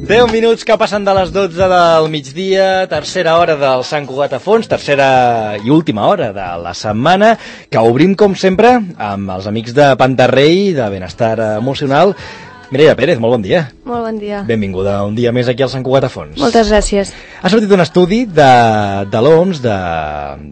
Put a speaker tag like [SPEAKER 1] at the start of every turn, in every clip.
[SPEAKER 1] 10 minuts que passen de les 12 del migdia, tercera hora del Sant Cugat a Fons, tercera i última hora de la setmana, que obrim, com sempre, amb els amics de Pantarrei, de Benestar Emocional. Mireia Pérez, molt bon dia.
[SPEAKER 2] Molt bon dia.
[SPEAKER 1] Benvinguda un dia més aquí al Sant Cugat a Fons.
[SPEAKER 2] Moltes gràcies.
[SPEAKER 1] Ha sortit un estudi de l'OMS, de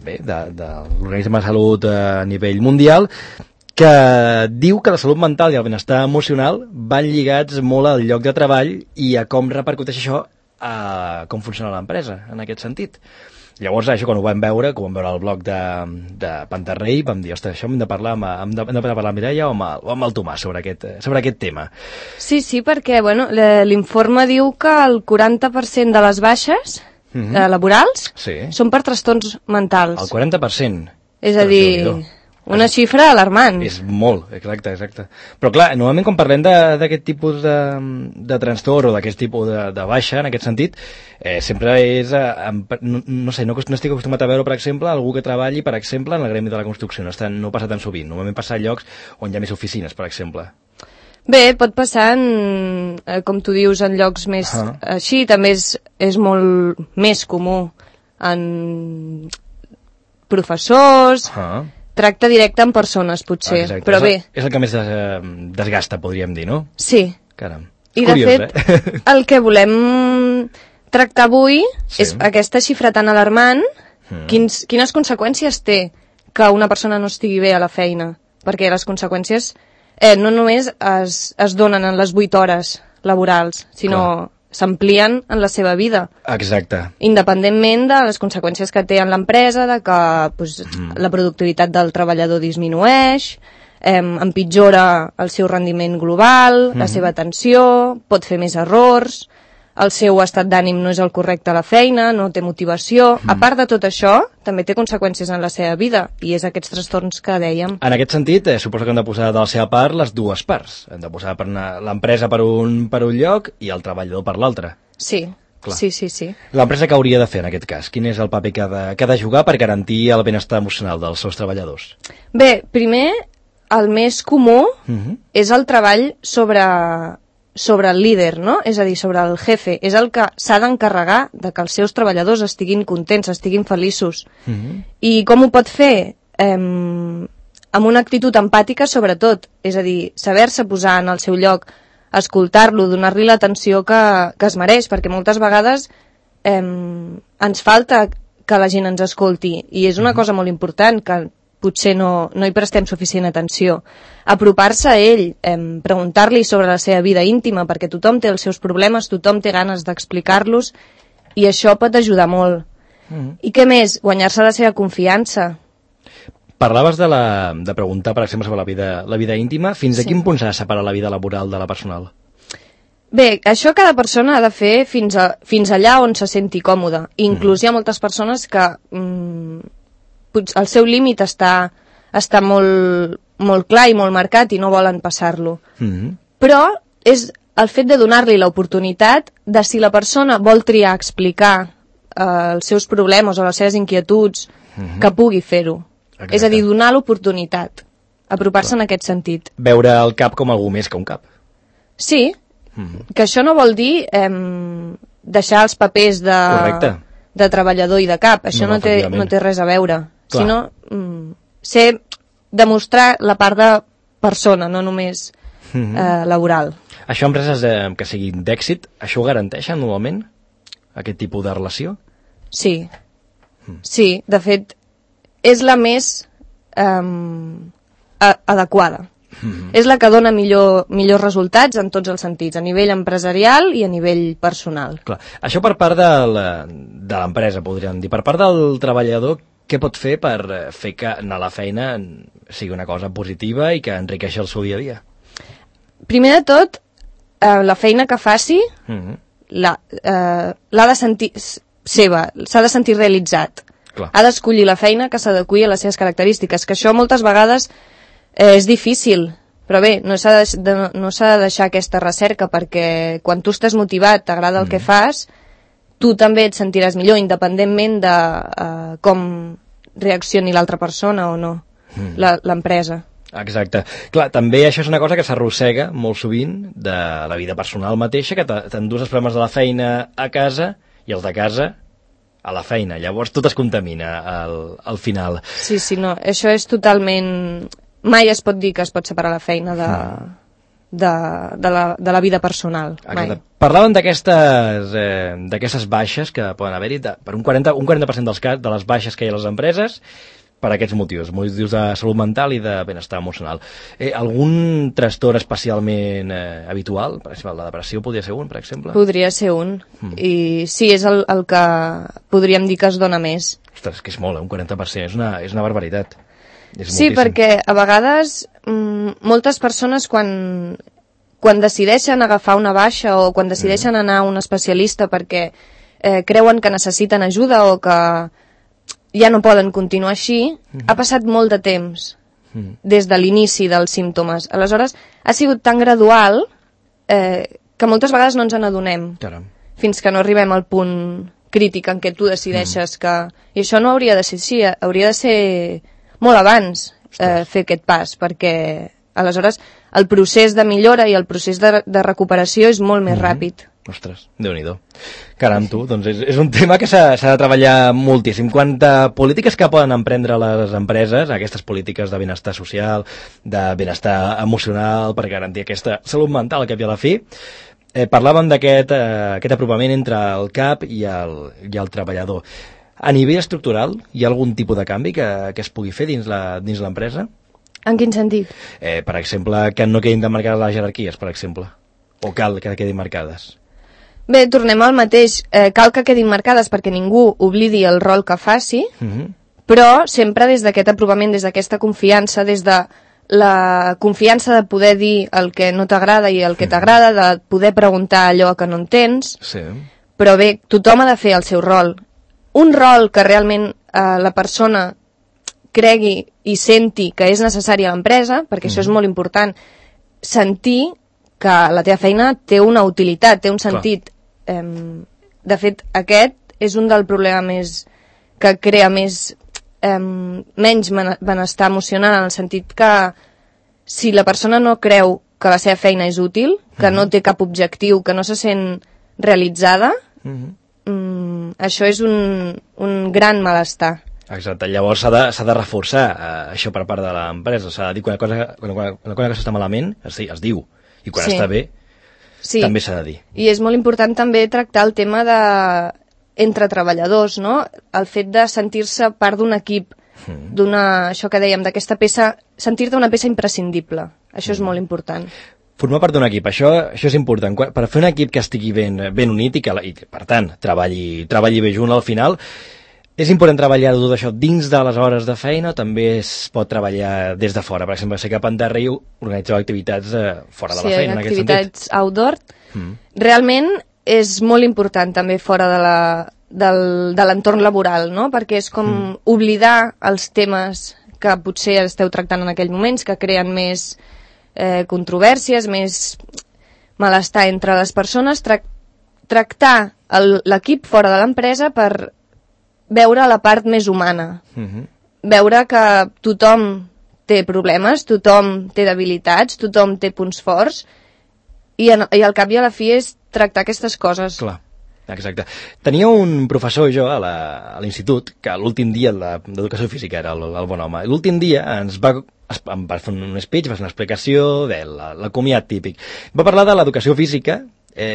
[SPEAKER 1] l'Organisme de Salut a nivell mundial, que diu que la salut mental i el benestar emocional van lligats molt al lloc de treball i a com repercuteix això a com funciona l'empresa, en aquest sentit. Llavors, això, quan ho vam veure al blog de Pantarrei, vam dir, ostres, això hem de parlar amb la Mireia o amb el Tomàs sobre aquest tema.
[SPEAKER 2] Sí, perquè l'informe diu que el 40% de les baixes laborals són per trastorns mentals.
[SPEAKER 1] El 40%?
[SPEAKER 2] És a dir, una xifra alarmant.
[SPEAKER 1] És molt, exacte. Però clar, normalment quan parlem d'aquest tipus de trastorn o d'aquest tipus de baixa, en aquest sentit, sempre és, no estic acostumat a veure, per exemple, algú que treballi, per exemple, en el gremi de la construcció. No passa tan sovint. Normalment passa a llocs on hi ha més oficines, per exemple.
[SPEAKER 2] Bé, pot passar, com tu dius, en llocs més així. També és molt més comú en professors, tracte directe amb persones, potser.
[SPEAKER 1] Exacte.
[SPEAKER 2] Però bé.
[SPEAKER 1] És el que més desgasta, podríem dir, no?
[SPEAKER 2] Sí.
[SPEAKER 1] Caram.
[SPEAKER 2] I de fet, el que volem tractar avui és aquesta xifra tan alarmant. Quines conseqüències té que una persona no estigui bé a la feina? Perquè les conseqüències no només es donen en les 8 hores laborals, sinó s'amplien en la seva vida.
[SPEAKER 1] Exacte.
[SPEAKER 2] Independentment de les conseqüències que té en l'empresa, de que la productivitat del treballador disminueix, empitjora el seu rendiment global, la seva atenció, pot fer més errors, el seu estat d'ànim no és el correcte a la feina, no té motivació. A part de tot això, també té conseqüències en la seva vida, i és aquests trastorns que dèiem.
[SPEAKER 1] En aquest sentit, suposo que hem de posar de la seva part les dues parts. Hem de posar l'empresa per un lloc i el treballador per l'altre.
[SPEAKER 2] Sí.
[SPEAKER 1] Clar.
[SPEAKER 2] Sí.
[SPEAKER 1] L'empresa què hauria de fer en aquest cas? Quin és el paper que ha de jugar per garantir el benestar emocional dels seus treballadors?
[SPEAKER 2] Bé, primer, el més comú és el treball sobre el líder, no? És a dir, sobre el jefe. És el que s'ha d'encarregar de que els seus treballadors estiguin contents, estiguin feliços. I com ho pot fer? Amb una actitud empàtica, sobretot. És a dir, saber-se posar en el seu lloc, escoltar-lo, donar-li l'atenció que es mereix, perquè moltes vegades ens falta que la gent ens escolti. I és una cosa molt important, que potser no hi prestem suficient atenció. Apropar-se a ell, preguntar-li sobre la seva vida íntima, perquè tothom té els seus problemes, tothom té ganes d'explicar-los, i això pot ajudar molt. I què més? Guanyar-se la seva confiança.
[SPEAKER 1] Parlaves de preguntar, per exemple, sobre la vida íntima. Fins a quin punt s'ha de separar la vida laboral de la personal?
[SPEAKER 2] Bé, això cada persona ha de fer fins allà on se senti còmode. Inclús hi ha moltes persones que el seu límit està molt clar i molt marcat i no volen passar-lo. Però és el fet de donar-li l'oportunitat de, si la persona vol triar explicar els seus problemes o les seves inquietuds, que pugui fer-ho. És a dir, donar l'oportunitat, apropar-se en aquest sentit.
[SPEAKER 1] Veure el cap com algú més que un cap.
[SPEAKER 2] Sí, que això no vol dir deixar els papers de treballador i de cap. Això no té res a veure. Sinó demostrar la part de persona, no només laboral.
[SPEAKER 1] Això, empreses que siguin d'èxit, això ho garanteixen normalment? Aquest tipus de relació?
[SPEAKER 2] Sí. Sí, de fet, és la més adequada. És la que dona millors resultats en tots els sentits, a nivell empresarial i a nivell personal.
[SPEAKER 1] Clar. Això per part de l'empresa, podríem dir. Per part del treballador, què pot fer per fer que anar a la feina sigui una cosa positiva i que enriqueixi el seu dia a dia?
[SPEAKER 2] Primer de tot, la feina que faci l'ha de sentir seva, s'ha de sentir realitzat.
[SPEAKER 1] Clar.
[SPEAKER 2] Ha d'escollir la feina que s'adeqüi a les seves característiques, que això moltes vegades és difícil, però bé, no s'ha de deixar aquesta recerca, perquè quan tu estàs motivat, t'agrada el que fas, tu també et sentiràs millor, independentment de com reaccioni l'altra persona o no, l'empresa.
[SPEAKER 1] Exacte. Clar, també això és una cosa que s'arrossega molt sovint de la vida personal mateixa, que t'endús els problemes de la feina a casa i els de casa a la feina. Llavors tot es contamina al final.
[SPEAKER 2] Sí, no, això és totalment... Mai es pot dir que es pot separar la feina de la vida personal. Mai.
[SPEAKER 1] Parlàvem d'aquestes baixes que poden haver-hi, per un 40% de les baixes que hi ha a les empreses, per aquests motius de salut mental i de benestar emocional. Algun trastorn especialment habitual? Per exemple, la depressió podria ser un, per exemple?
[SPEAKER 2] Podria ser un. I sí, és el que podríem dir que es dona més.
[SPEAKER 1] Ostres, que és molt, un 40%. És una barbaritat.
[SPEAKER 2] Sí, perquè a vegades moltes persones quan decideixen agafar una baixa o quan decideixen anar a un especialista perquè creuen que necessiten ajuda o que ja no poden continuar així, ha passat molt de temps des de l'inici dels símptomes. Aleshores, ha sigut tan gradual que moltes vegades no ens n'adonem fins que no arribem al punt crític en què tu decideixes que... I això no hauria de ser així, hauria de ser molt abans fer aquest pas, perquè aleshores el procés de millora i el procés de recuperació és molt més ràpid.
[SPEAKER 1] Ostres, Déu-n'hi-do. Caram, tu, doncs és un tema que s'ha de treballar moltíssim. Quant a polítiques que poden emprendre les empreses, aquestes polítiques de benestar social, de benestar emocional, per garantir aquesta salut mental al cap i a la fi, parlàvem d'aquest apropament entre el cap i el treballador. A nivell estructural, hi ha algun tipus de canvi que es pugui fer dins l'empresa?
[SPEAKER 2] En quin sentit?
[SPEAKER 1] Per exemple, que no quedin demarcades les jerarquies, per exemple. O cal que quedin marcades?
[SPEAKER 2] Bé, tornem al mateix. Cal que quedin marcades perquè ningú oblidi el rol que faci, però sempre des d'aquest aprovament, des d'aquesta confiança, des de la confiança de poder dir el que no t'agrada i el que t'agrada, de poder preguntar allò que no entens.
[SPEAKER 1] Sí.
[SPEAKER 2] Però bé, tothom ha de fer el seu rol. Un rol que realment la persona cregui i senti que és necessari a l'empresa, perquè això és molt important, sentir que la teva feina té una utilitat, té un sentit. De fet, aquest és un del problema més que crea menys benestar emocional, en el sentit que si la persona no creu que la seva feina és útil, que no té cap objectiu, que no se sent realitzada, això és un gran malestar.
[SPEAKER 1] Exacte, llavors s'ha de reforçar això per part de l'empresa, s'ha de dir quan una cosa està malament es diu, i quan està bé també s'ha de dir.
[SPEAKER 2] I és molt important també tractar el tema entre treballadors, no? El fet de sentir-se part d'un equip, això que dèiem, d'aquesta peça, sentir-te una peça imprescindible. Això és molt important.
[SPEAKER 1] Formar part d'un equip, això és important. Per fer un equip que estigui ben unit i per tant, treballi bé junt al final, és important treballar tot això dins de les hores de feina o també es pot treballar des de fora? Per exemple, sé que a Panterra organitzeu activitats fora de la feina, en aquest sentit. Sí,
[SPEAKER 2] activitats outdoor. Realment és molt important també fora de l'entorn laboral, no? Perquè és com oblidar els temes que potser esteu tractant en aquells moments, que creen més controvèrsies, més malestar entre les persones, tractar l'equip fora de l'empresa per veure la part més humana, veure que tothom té problemes, tothom té debilitats, tothom té punts forts i al cap i a la fi és tractar aquestes coses.
[SPEAKER 1] Clar, exacte. Tenia un professor jo a l'institut que l'últim dia d'educació física era el bon home. L'últim dia em va fer un speech, va fer una explicació de la comiat típic. Va parlar de l'educació física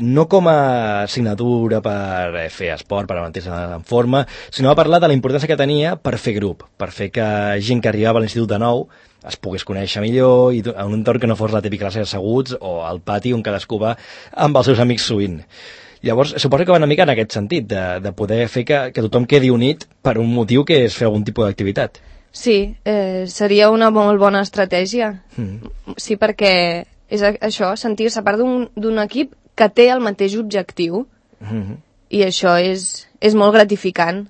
[SPEAKER 1] no com a assignatura per fer esport, per mantenir-se en forma, sinó va parlar de la importància que tenia per fer grup, per fer que gent que arribava a l'institut de nou es pogués conèixer millor i en un entorn que no fos la típica classe asseguts o al pati on cadascú va amb els seus amics sovint. Llavors, suposo que va una mica en aquest sentit, de poder fer que tothom quedi unit per un motiu que és fer algun tipus d'activitat.
[SPEAKER 2] Sí, seria una molt bona estratègia. Sí, perquè és això, sentir-se part d'un equip que té el mateix objectiu i això és molt gratificant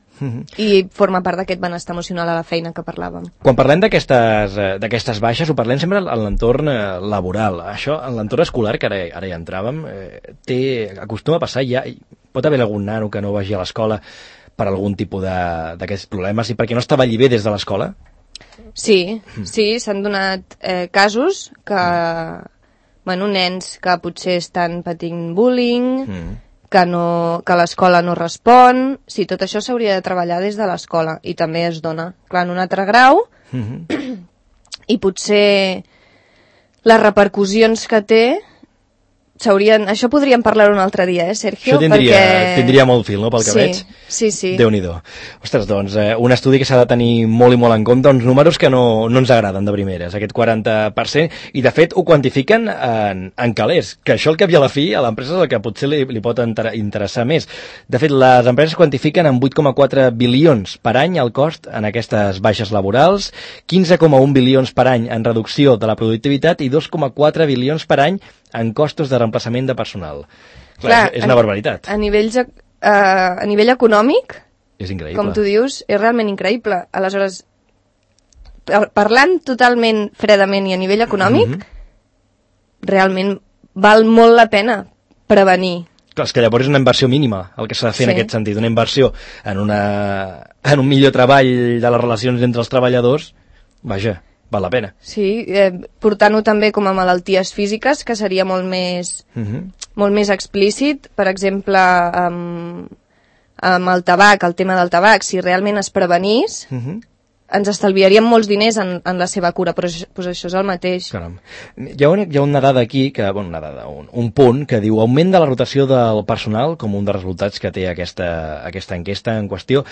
[SPEAKER 2] i forma part d'aquest benestar emocional a la feina que parlàvem.
[SPEAKER 1] Quan parlem d'aquestes baixes ho parlem sempre en l'entorn laboral. Això, en l'entorn escolar, que ara hi entràvem, acostuma a passar, pot haver algun nano que no vagi a l'escola per algun tipus d'aquests problemes i perquè no estava allí bé des de l'escola?
[SPEAKER 2] Sí, s'han donat casos que, nens que potser estan patint bullying, que l'escola no respon. Sí, tot això s'hauria de treballar des de l'escola i també es dona, clar, en un altre grau, i potser les repercussions que té això podríem parlar un altre dia, Sergio?
[SPEAKER 1] Això tindria molt fil, no?, pel que veig.
[SPEAKER 2] Sí.
[SPEAKER 1] Déu-n'hi-do. Ostres, doncs, un estudi que s'ha de tenir molt i molt en compte, uns números que no ens agraden de primeres, aquest 40%, i de fet ho quantifiquen en calés, que això al cap i a la fi a l'empresa és el que potser li pot interessar més. De fet, les empreses quantifiquen en 8,4 bilions per any el cost en aquestes baixes laborals, 15,1 bilions per any en reducció de la productivitat i 2,4 bilions per any en costos de reemplaçament de personal. Clar, és una barbaritat.
[SPEAKER 2] A nivell econòmic,
[SPEAKER 1] és increïble.
[SPEAKER 2] Com tu dius, és realment increïble. Aleshores, parlant totalment fredament i a nivell econòmic, realment val molt la pena prevenir.
[SPEAKER 1] Clar, és que llavors és una inversió mínima, el que s'ha de fer en aquest sentit, una inversió en un millor treball de les relacions entre els treballadors, vaja, val la pena.
[SPEAKER 2] Sí, portant-ho també com a malalties físiques, que seria molt més explícit. Per exemple, amb el tabac, el tema del tabac, si realment es prevenís, ens estalviaríem molts diners en la seva cura, però això és el mateix.
[SPEAKER 1] Caram. Hi ha una dada aquí, un punt, que diu augment de la rotació del personal, com un dels resultats que té aquesta enquesta en qüestió.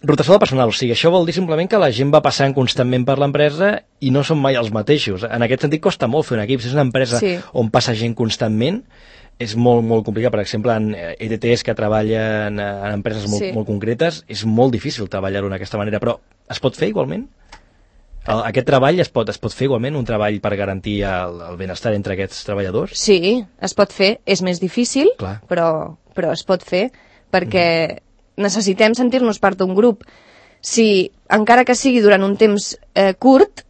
[SPEAKER 1] Rotació de personal, o sigui, això vol dir simplement que la gent va passant constantment per l'empresa i no són mai els mateixos. En aquest sentit costa molt fer un equip. Si és una empresa on passa gent constantment, és molt, molt complicat. Per exemple, en ETTs que treballen en empreses molt concretes, és molt difícil treballar-ho d'aquesta manera, però es pot fer igualment? Aquest treball es pot fer igualment, un treball per garantir el benestar entre aquests treballadors?
[SPEAKER 2] Sí, es pot fer. És més difícil, però es pot fer, perquè necessitem sentir-nos part d'un grup. Si, encara que sigui durant un temps curt,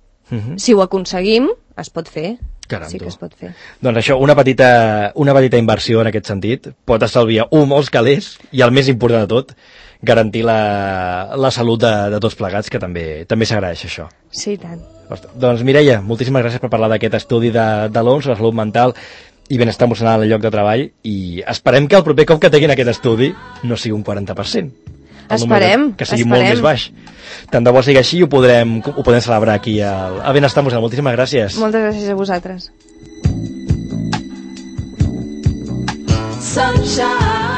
[SPEAKER 2] si ho aconseguim, es pot fer.
[SPEAKER 1] Caram,
[SPEAKER 2] sí que es pot fer.
[SPEAKER 1] Doncs això, una petita inversió en aquest sentit pot estalviar molts calés i el més important de tot, garantir la salut de tots plegats, que també s'agraeix això.
[SPEAKER 2] Sí, tant.
[SPEAKER 1] Doncs Mireia, moltíssimes gràcies per parlar d'aquest estudi de l'OMS sobre salut mental i benestar emocional al lloc de treball, i esperem que el proper cop que tinguin aquest estudi no sigui un 40%.
[SPEAKER 2] Esperem.
[SPEAKER 1] Que sigui molt més baix. Tant de bo sigui així i ho podrem celebrar aquí a Benestar Emocional. Moltíssimes gràcies.
[SPEAKER 2] Moltes gràcies a vosaltres.
[SPEAKER 3] Sunshine.